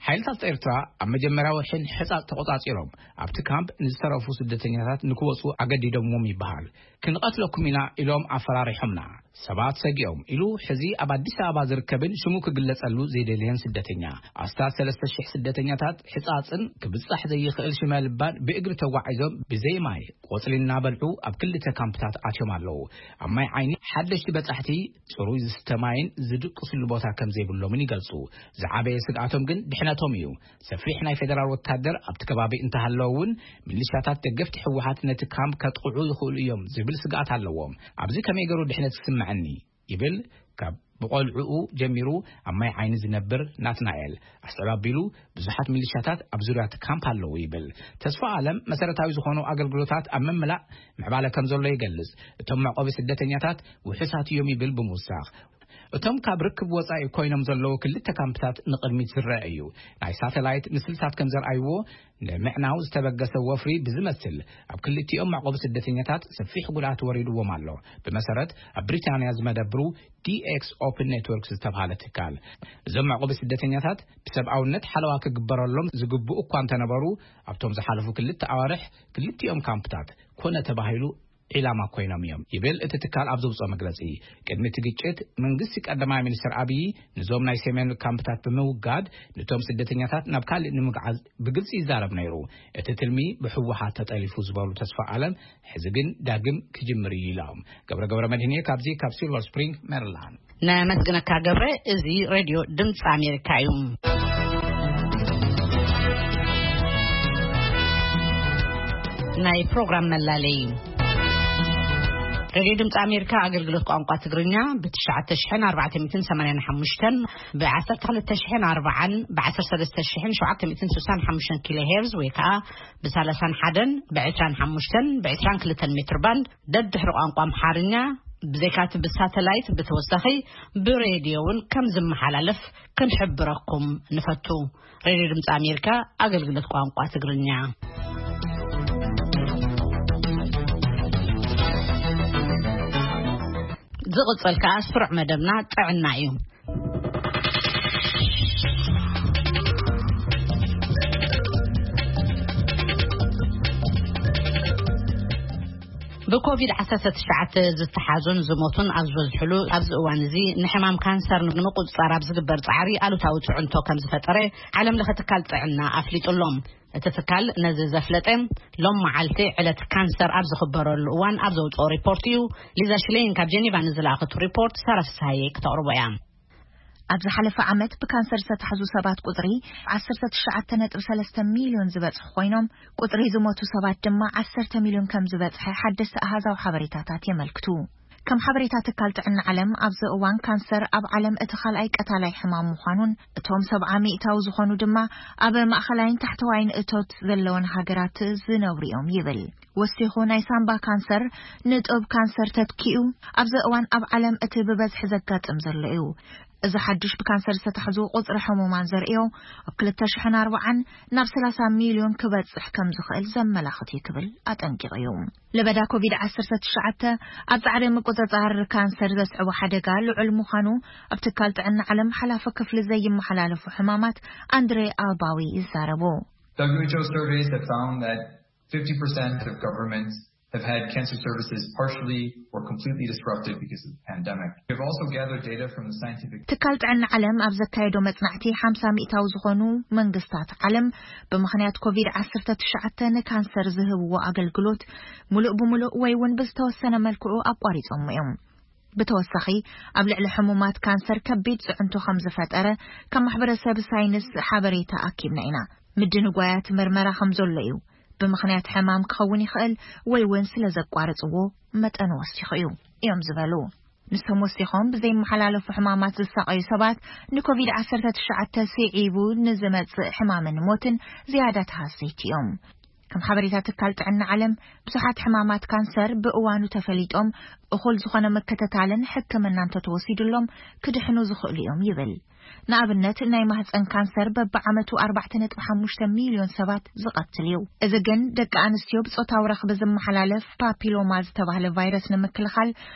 ሓይልታት ኤርትራ ኣብ መጀመርያ ወርሒ ሕጻጽ ተቆጻጺሮም፣ ኣብቲ ካምፕ ንዝተረፉ ስደተኛታት ንክወጹ ኣገዲዶምዎም ይበሃል። ክንቐትለኩም ኢና ኢሎም ኣፈራሪሖምና። ሰባት ሰጊኦም ኢሉ ሕዚ ኣብ ኣዲስ ኣበባ ዝርከብን ሽሙ ክግለጸሉ ዘይደልየን ስደተኛ። ኣስታት ሰለስተ ሽሕ ስደተኛታት ሕጻጽን ክብጻሕ ዘይኽእል ሽመልባን ብእግሪ ተጓዒዞም ብዘይ ማይ ቆጽሊ እናበልዑ ኣብ ክልተ ካምፕታት ኣትዮም ኣለዉ። ኣብ ማይ ዓይኒ ሓደሽቲ በጻሕቲ ጽሩይ ዝስተ ማይን ዝድቅስሉ ቦታ ከም ዘይብሎምን ይገልጹ። ዝዓበየ ስግኣቶም ግን ድሕነቶም እዩ። ሰፊሕ ናይ ፌደራል ወታደር ኣብቲ ከባቢ እንተሃለወ እውን፣ ሚሊሻታት ደገፍቲ ህወሓት ነቲ ካምፕ ከጥቕዑ ይኽእሉ እዮም ዝብል ስግኣት ኣለዎም። ኣብዚ ከመይ ገይሩ ድሕነት ክስምዐኒ? ይብል ካብ ብቆልዕኡ ጀሚሩ ኣብ ማይ ዓይኒ ዝነብር ናትናኤል። ኣስዕብ ኣቢሉ፣ ብዙሓት ሚሊሻታት ኣብ ዙርያ እቲ ካምፕ ኣለዉ ይብል። ተስፋ ኣለም መሰረታዊ ዝኾኑ ኣገልግሎታት ኣብ ምምላእ ምዕባለ ከም ዘሎ ይገልጽ። እቶም መዕቆቢ ስደተኛታት ውሑሳት እዮም ይብል ብምውሳኽ። እቶም ካብ ርክብ ወጻኢ ኮይኖም ዘለዉ ክልተ ካምፕታት ንቕድሚት ዝረአ እዩ። ናይ ሳተላይት ምስልታት ከም ዘርኣይዎ፣ ንምዕናው ዝተበገሰ ወፍሪ ብዝመስል፣ ኣብ ክልቲኦም መዕቆቢ ስደተኛታት ሰፊሕ ጉድኣት ወሪድዎም ኣሎ። ብመሰረት ኣብ ብሪታንያ ዝመደብሩ ዲ ኤክስ ኦፕን ኔትወርክ ዝተባህለ ትካል፣ እዞም መዕቆቢ ስደተኛታት ብሰብኣውነት ሓለዋ ክግበረሎም ዝግብኡ እኳ እንተነበሩ፣ ኣብቶም ዝሓለፉ ክልተ ኣዋርሕ ክልቲኦም ካምፕታት ኮነ ተባሂሉ ዒላማ ኮይኖም እዮም ይብል እቲ ትካል ኣብ ዘውፅኦ መግለፂ። ቅድሚ እቲ ግጭት መንግስቲ ቀዳማይ ሚኒስትር ኣብይ ንዞም ናይ ሰሜን ካምፕታት ብምውጋድ፣ ነቶም ስደተኛታት ናብ ካልእ ንምግዓዝ ብግልፂ ይዛረብ ነይሩ። እቲ ትልሚ ብህወሓት ተጠሊፉ ዝበሉ ተስፋ ኣለም፣ ሕዚ ግን ዳግም ክጅምር እዩ ኢሎም። ገብረ ገብረ መድህን እየ ካብዚ ካብ ሲልቨር ስፕሪንግ ሜሪላንድ። ነመስግነካ ገብረ። እዚ ሬድዮ ድምፂ ኣሜሪካ እዩ። ናይ ፕሮግራም መላለይ። ሬድዮ ድምፂ ኣሜሪካ ኣገልግሎት ቋንቋ ትግርኛ ብ ትሽዓተ ሽሕን ኣርባዕተ ሚእትን ሰማንያን ሓሙሽተን፣ ብ ዓሰርተ ክልተ ሽሕን ኣርባዓን፣ ብ ዓሰርተ ሰለስተ ሽሕን ሸውዓተ ሚእትን ስሳን ሓሙሽተን ኪሎ ሄርዝ ወይ ከዓ ብ ሰላሳን ሓደን፣ ብ ዕስራን ሓሙሽተን፣ ብ ዕስራን ክልተን ሜትር ባንድ ደድሕሪ ቋንቋ ኣምሓርኛ፣ ብዘይካቲ ብሳተላይት ብተወሳኺ ብሬድዮ እውን ከም ዝመሓላለፍ ክንሕብረኩም ንፈቱ። ሬድዮ ድምፂ ኣሜሪካ ኣገልግሎት ቋንቋ ትግርኛ። ዝቕጽል ከኣ ስሩዕ መደብና ጥዕና እዩ። ብኮቪድ ዓሰርተ ትሽዓተ ዝተሓዙን ዝሞቱን ኣብ ዝበዝሕሉ ኣብዚ እዋን እዚ፣ ንሕማም ካንሰር ንምቁጽጻር ኣብ ዝግበር ጻዕሪ ኣሉታዊ ጽዕንቶ ከም ዝፈጠረ ዓለም ለኸ ትካል ጥዕና ኣፍሊጡ ኣሎ። እቲ ትካል ነዚ ዘፍለጠ፣ ሎም መዓልቲ ዕለት ካንሰር ኣብ ዝኽበረሉ እዋን ኣብ ዘውጽኦ ሪፖርት እዩ። ሊዛ ሽሌን ካብ ጀኔቫ ንዝለኣኸቱ ሪፖርት ሳራ ፍስሃየ ክተቕርቦ እያ። ኣብ ዝሓለፈ ዓመት ብካንሰር ዝተታሕዙ ሰባት ቁጽሪ ዓሰርተ ትሽዓተ ነጥቢ ሰለስተ ሚልዮን ዝበጽሑ ኮይኖም፣ ቁጽሪ ዝሞቱ ሰባት ድማ ዓሰርተ ሚልዮን ከም ዝበጽሐ ሓደስቲ ኣሃዛዊ ሓበሬታታት የመልክቱ። ከም ሓበሬታ ትካል ጥዕና ዓለም፣ ኣብዚ እዋን ካንሰር ኣብ ዓለም እቲ ካልኣይ ቀታላይ ሕማም ምዃኑን፣ እቶም ሰብዓ ሚእታዊ ዝኾኑ ድማ ኣብ ማእኸላይን ታሕተዋይን እቶት ዘለወን ሃገራት ዝነብሩ እዮም ይብል። ወሲኹ፣ ናይ ሳምባ ካንሰር ንጡብ ካንሰር ተትኪኡ፣ ኣብዚ እዋን ኣብ ዓለም እቲ ብበዝሒ ዘጋጥም ዘሎ እዩ። እዚ ሓድሽ ብካንሰር ዝተታሕዙ ቁጽሪ ሕሙማን ዘርእዮ፣ ኣብ ክልተ ሽሕን ኣርባዓን ናብ ሰላሳ ሚልዮን ክበጽሕ ከም ዝኽእል ዘመላኽት እዩ ክብል ኣጠንቂቑ እዩ። ለበዳ ኮቪድ ዓሰርተ ትሽዓተ ኣብ ጻዕሪ ምቁጽጻር ካንሰር ዘስዕቦ ሓደጋ ልዑል ምዃኑ ኣብ ትካል ጥዕና ዓለም ሓላፊ ክፍሊ ዘይመሓላለፉ ሕማማት ኣንድሬ ኣልባዊ ይዛረቡ። W H O surveys have found that fifty percent of governments have had cancer services partially or completely disrupted because of the pandemic. We've also gathered data from the scientific ትካል ጥዕና ዓለም ኣብ ዘካየዶ መጽናዕቲ፣ ሓምሳ ሚእታዊ ዝኾኑ መንግስታት ዓለም ብምኽንያት ኮቪድ ዓሰርተ ትሽዓተ ንካንሰር ዝህብዎ ኣገልግሎት ሙሉእ ብሙሉእ ወይ እውን ብዝተወሰነ መልክዑ ኣቋሪጾም እዮም። ብተወሳኺ፣ ኣብ ልዕሊ ሕሙማት ካንሰር ከቢድ ጽዕንቶ ከም ዝፈጠረ ካብ ማሕበረሰብ ሳይንስ ሓበሬታ ኣኪብና ኢና። ምድንጓያት መርመራ ከም ዘሎ እዩ። ብምኽንያት ሕማም ክኸውን ይኽእል ወይ እውን ስለ ዘቋርጽዎ መጠን ወሲኹ እዩ እዮም ዝበሉ። ንሶም ወሲኾም፣ ብዘይመሓላለፉ ሕማማት ዝሳቐዩ ሰባት ንኮቪድ ዓሰርተ ትሽዓተ ስዒቡ ንዝመጽእ ሕማምን ሞትን ዝያዳ ተሃሰይቲ እዮም። ከም ሓበሬታ ትካል ጥዕና ዓለም፣ ብዙሓት ሕማማት ካንሰር ብእዋኑ ተፈሊጦም እኹል ዝኾነ ምክትታልን ሕክምና እንተተወሲዱሎም ክድሕኑ ዝኽእሉ እዮም ይብል። ንኣብነት፣ ናይ ማህፀን ካንሰር በብዓመቱ ኣርባዕተ ነጥቢ ሓሙሽተ ሚልዮን ሰባት ዝቐትል እዩ። እዚ ግን ደቂ ኣንስትዮ ብጾታዊ ረኽቢ ዝመሓላለፍ ፓፒሎማ ዝተባህለ ቫይረስ ንምክልኻል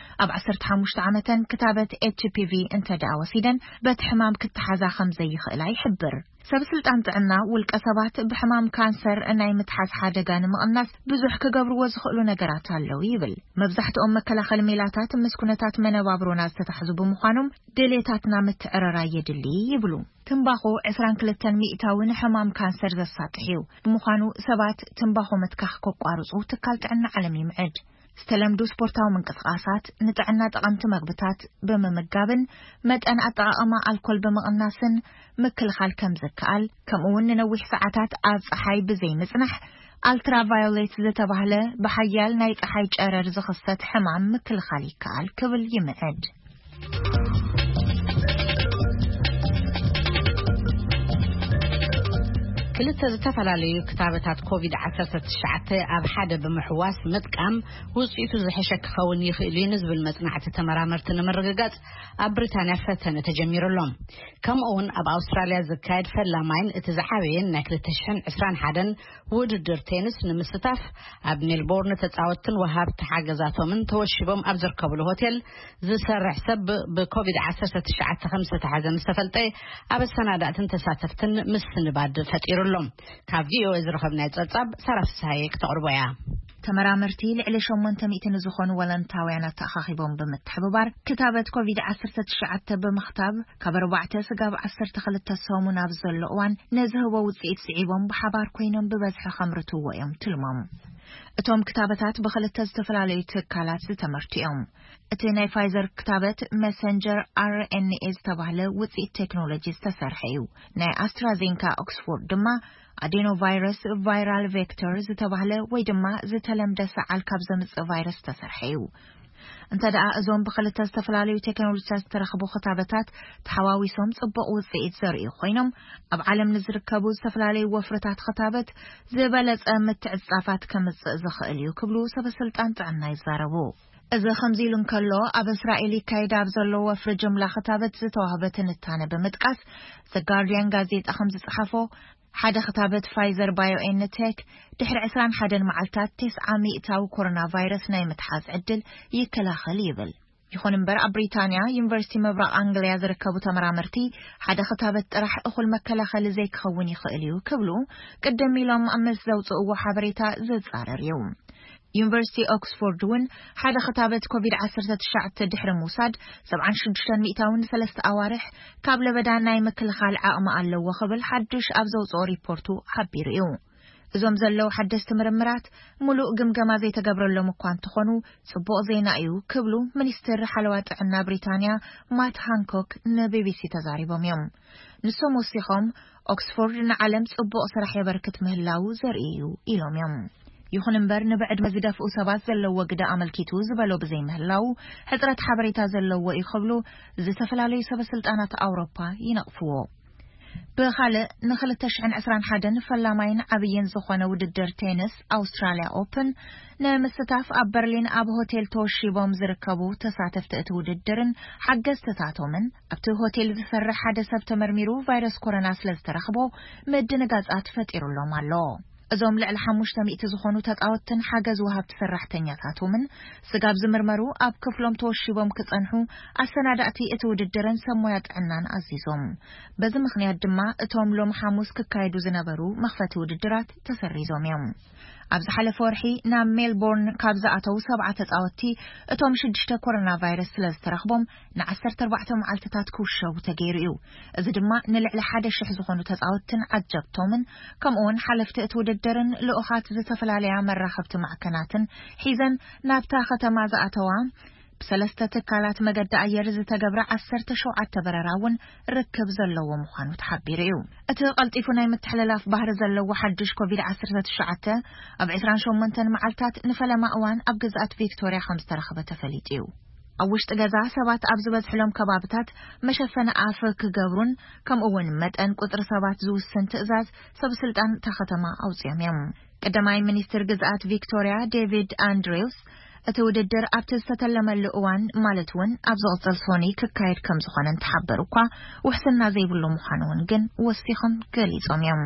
ኣብ ዓሰርተ ሓሙሽተ ዓመተን ክታበት ኤች ፒ ቪ እንተ ደኣ ወሲደን፣ በቲ ሕማም ክተሓዛ ከም ዘይኽእላ ይሕብር። ሰብ ስልጣን ጥዕና፣ ውልቀ ሰባት ብሕማም ካንሰር ናይ ምትሓዝ ሓደጋ ንምቕናስ ብዙሕ ክገብርዎ ዝኽእሉ ነገራት ኣለዉ ይብል። መብዛሕትኦም መከላኸሊ ሜላታት ምስ ኩነታት መነባብሮና ዝተታሕዙ ብምዃኖም፣ ድሌታትና ምትዕርራይ የድሊ ይብሉ። ትምባኾ ዕስራን ክልተን ሚእታዊ ንሕማም ካንሰር ዘሳጥሕ እዩ። ብምዃኑ ሰባት ትምባኾ ምትካኽ ከቋርጹ ትካል ጥዕና ዓለም ይምዕድ። ዝተለምዱ ስፖርታዊ ምንቅስቓሳት፣ ንጥዕና ጠቐምቲ መግብታት ብምምጋብን መጠን ኣጠቓቕማ ኣልኮል ብምቕናስን ምክልኻል ከም ዝከኣል፣ ከምኡ እውን ንነዊሕ ሰዓታት ኣብ ጸሓይ ብዘይ ምጽናሕ፣ ኣልትራቫዮሌት ዝተባህለ ብሓያል ናይ ጸሓይ ጨረር ዝኽሰት ሕማም ምክልኻል ይከኣል ክብል ይምዕድ። ክልተ ዝተፈላለዩ ክታበታት ኮቪድ ዓሰርተ ትሽዓተ ኣብ ሓደ ብምሕዋስ ምጥቃም ውጽኢቱ ዝሕሸ ክኸውን ይኽእል እዩ ንዝብል መጽናዕቲ ተመራመርቲ ንምርግጋጽ ኣብ ብሪታንያ ፈተነ ተጀሚሩ ኣሎ። ከምኡ እውን ኣብ ኣውስትራልያ ዝካየድ ፈላማይን እቲ ዝዓበየን ናይ ክልተ ሽሕን ዕስራን ሓደን ውድድር ቴኒስ ንምስታፍ ኣብ ሜልቦርን ተጻወትትን ወሃብቲ ሓገዛቶምን ተወሺቦም ኣብ ዝርከብሉ ሆቴል ዝሰርሕ ሰብ ብኮቪድ ዓሰርተ ትሽዓተ ከም ዝተታሕዘ ምስ ተፈልጠ፣ ኣብ ኣሰናዳእትን ተሳተፍትን ምስንባድ ፈጢሩ ኣሎ። ካብ ቪ ኦ ኤ ዝረኸብናዮ ጸብጻብ ሳራ ፍስሃየ ክተቕርቦ እያ። ተመራመርቲ ልዕሊ ሸሞንተ ሚእቲ ንዝኾኑ ወለንታውያን ኣተኣኻኺቦም ብምትሕብባር፣ ክታበት ኮቪድ ዓሰርተ ትሽዓተ ብምኽታብ፣ ካብ ኣርባዕተ ስጋብ ዓሰርተ ክልተ ሰሙን ኣብ ዘሎ እዋን ንዝህቦ ውጽኢት ስዒቦም ብሓባር ኮይኖም ብበዝሒ ከምርትዎ እዮም ትልሞም። እቶም ክታበታት ብኽልተ ዝተፈላለዩ ትካላት ዝተመርቱ እዮም። እቲ ናይ ፋይዘር ክታበት መሰንጀር ኣር ኤን ኤ ዝተባህለ ውጽኢት ቴክኖሎጂ ዝተሰርሐ እዩ። ናይ ኣስትራዜንካ ኦክስፎርድ ድማ ኣዴኖ ቫይረስ ቫይራል ቬክተር ዝተባህለ ወይ ድማ ዝተለምደ ሰዓል ካብ ዘምጽእ ቫይረስ ዝተሰርሐ እዩ። እንተ ደኣ እዞም ብኽልተ ዝተፈላለዩ ቴክኖሎጂታት ዝተረኽቡ ክታበታት ተሓዋዊሶም ጽቡቕ ውጽኢት ዘርእዩ ኮይኖም፣ ኣብ ዓለም ንዝርከቡ ዝተፈላለዩ ወፍርታት ክታበት ዝበለጸ ምትዕጻፋት ከምጽእ ዝኽእል እዩ ክብሉ ሰበ ስልጣን ጥዕና ይዛረቡ። እዚ ከምዚ ኢሉ እንከሎ፣ ኣብ እስራኤል ይካየድ ኣብ ዘሎ ወፍሪ ጅምላ ክታበት ዝተዋህበ ትንታነ ብምጥቃስ፣ ዘ ጋርዲያን ጋዜጣ ከም ዝጸሓፎ፣ ሓደ ክታበት ፋይዘር ባዮኤንቴክ ድሕሪ ዕስራን ሓደን መዓልታት ተስዓ ሚእታዊ ኮሮና ቫይረስ ናይ ምትሓዝ ዕድል ይከላኸል ይብል። ይኹን እምበር፣ ኣብ ብሪታንያ ዩኒቨርሲቲ ምብራቕ ኣንግልያ ዝርከቡ ተመራመርቲ፣ ሓደ ክታበት ጥራሕ እኹል መከላኸሊ ዘይክኸውን ይኽእል እዩ ክብሉ ቅድም ኢሎም ምስ ዘውፅእዎ ሓበሬታ ዝጻረር እዩ። ዩኒቨርሲቲ ኦክስፎርድ እውን ሓደ ክታበት ኮቪድ ዓሰርተ ትሽዓተ ድሕሪ ምውሳድ ሰብዓን ሽዱሽተን ሚእታውን ሰለስተ ኣዋርሕ ካብ ለበዳ ናይ ምክልኻል ዓቕሚ ኣለዎ ክብል ሓድሽ ኣብ ዘውፅኦ ሪፖርቱ ሓቢሩ እዩ። እዞም ዘለዉ ሓደስቲ ምርምራት ሙሉእ ግምገማ ዘይተገብረሎም እኳ እንተኾኑ፣ ጽቡቕ ዜና እዩ ክብሉ ሚኒስትር ሓለዋ ጥዕና ብሪታንያ ማት ሃንኮክ ንቢቢሲ ተዛሪቦም እዮም። ንሶም ወሲኾም፣ ኦክስፎርድ ንዓለም ጽቡቕ ስራሕ የበርክት ምህላዉ ዘርኢ እዩ ኢሎም እዮም። ይኹን እምበር፣ ንብዕድመ ዝደፍኡ ሰባት ዘለዎ ግደ ኣመልኪቱ ዝበሎ ብዘይምህላዉ፣ ሕጽረት ሓበሬታ ዘለዎ እዩ ክብሉ ዝተፈላለዩ ሰበ ስልጣናት ኣውሮፓ ይነቕፍዎ። ብኻልእ፣ ንክልተ ሽሕን ዕስራን ሓደን ፈላማይን ዓብይን ዝኾነ ውድድር ቴንስ ኣውስትራልያ ኦፕን ንምስታፍ ኣብ በርሊን ኣብ ሆቴል ተወሺቦም ዝርከቡ ተሳተፍቲ እቲ ውድድርን ሓገዝትታቶምን፣ ኣብቲ ሆቴል ዝሰርሕ ሓደ ሰብ ተመርሚሩ ቫይረስ ኮሮና ስለ ዝተረኽቦ ምድንጋጻት ፈጢሩሎም ኣሎ። እዞም ልዕሊ ሓሙሽተ ሚእቲ ዝኾኑ ተጻወትትን ሓገዝ ወሃብቲ ሰራሕተኛታቶምን ስጋብ ዝምርመሩ ኣብ ክፍሎም ተወሺቦም ክጸንሑ ኣሰናዳእቲ እቲ ውድድርን ሰብ ሞያ ጥዕናን ኣዚዞም። በዚ ምኽንያት ድማ እቶም ሎም ሓሙስ ክካየዱ ዝነበሩ መኽፈቲ ውድድራት ተሰሪዞም እዮም። ኣብ ዝሓለፈ ወርሒ ናብ ሜልቦርን ካብ ዝኣተዉ ሰብዓ ተጻወትቲ እቶም ሽዱሽተ ኮሮና ቫይረስ ስለ ዝተረኽቦም ንዓሰርተ ኣርባዕተ መዓልትታት ክውሸቡ ተገይሩ እዩ። እዚ ድማ ንልዕሊ ሓደ ሽሕ ዝኾኑ ተጻወትትን ዓጀብቶምን ከምኡ እውን ሓለፍቲ እቲ ውድድርን ልኡኻት ዝተፈላለያ መራኸብቲ ማዕከናትን ሒዘን ናብታ ከተማ ዝኣተዋ ብሰለስተ ትካላት መገዲ ኣየር ዝተገብረ ዓሰርተ ሸውዓተ በረራ እውን ርክብ ዘለዎ ምዃኑ ተሓቢሩ እዩ። እቲ ቀልጢፉ ናይ ምትሕልላፍ ባህሪ ዘለዎ ሓድሽ ኮቪድ ዓሰርተ ትሽዓተ ኣብ ዕስራን ሸሞንተን መዓልታት ንፈለማ እዋን ኣብ ግዝኣት ቪክቶርያ ከም ዝተረኸበ ተፈሊጡ እዩ። ኣብ ውሽጢ ገዛ ሰባት ኣብ ዝበዝሕሎም ከባብታት መሸፈኒ ኣፍ ክገብሩን ከምኡ እውን መጠን ቁጽሪ ሰባት ዝውስን ትእዛዝ ሰብ ስልጣን እታ ከተማ ኣውፅኦም እዮም። ቀዳማይ ሚኒስትር ግዝኣት ቪክቶርያ ዴቪድ ኣንድሪውስ እቲ ውድድር ኣብቲ ዝተተለመሉ እዋን ማለት እውን ኣብ ዝቕፅል ሶኒ ክካየድ ከም ዝኾነ እንተሓበሩ እኳ ውሕስና ዘይብሉ ምዃኑ እውን ግን ወሲኾም ገሊጾም እዮም።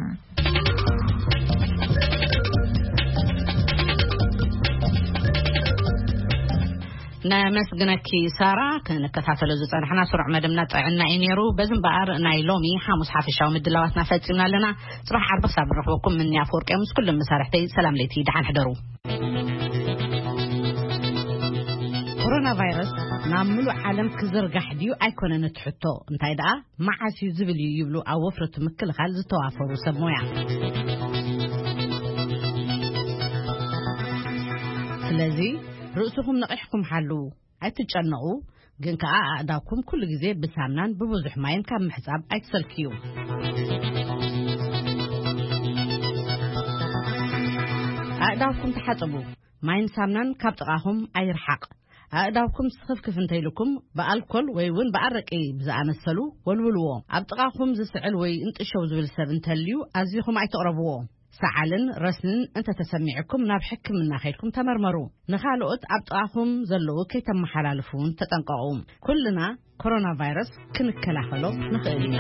ነመስግነኪ ሳራ። ክንከታተሎ ዝጸናሕና ስሩዕ መደብና ጥዕና እዩ ነይሩ። በዚ እምበኣር ናይ ሎሚ ሓሙስ ሓፈሻዊ ምድላዋትና ፈጺምና ኣለና። ጽባሕ ዓርቢ ክሳብ ንረኽበኩም ምንያ ኣፈወርቂ ምስ ኩሎም መሳርሕተይ ሰላም ለይቲ፣ ደሓን ሕደሩ። ኮሮና ቫይረስ ናብ ምሉእ ዓለም ክዝርጋሕ ድዩ ኣይኮነን እቲ ሕቶ፣ እንታይ ደኣ መዓስ እዩ ዝብል እዩ ይብሉ ኣብ ወፍረቱ ምክልኻል ዝተዋፈሩ ሰብ ሞያ። ስለዚ ርእስኹም ነቒሕኩም ሓልዉ፣ ኣይትጨነቑ፣ ግን ከኣ ኣእዳውኩም ኩሉ ግዜ ብሳምናን ብብዙሕ ማይን ካብ ምሕጻብ ኣይትሰልክዩ። ኣእዳውኩም ተሓጸቡ፣ ማይን ሳምናን ካብ ጥቓኹም ኣይርሓቕ። ኣእዳውኩም ስኽፍክፍ እንተኢልኩም ብኣልኮል ወይ እውን ብኣረቂ ብዝኣመሰሉ ወልውልዎ። ኣብ ጥቓኹም ዝስዕል ወይ እንጥሸው ዝብል ሰብ እንተልዩ ኣዚኹም ኣይትቕረብዎ። ሰዓልን ረስንን እንተተሰሚዕኩም ናብ ሕክምና ከይድኩም ተመርመሩ። ንኻልኦት ኣብ ጥቓኹም ዘለዉ ከይተመሓላልፉ እውን ተጠንቀቑ። ኩልና ኮሮና ቫይረስ ክንከላኸሎ ንኽእል ኢና።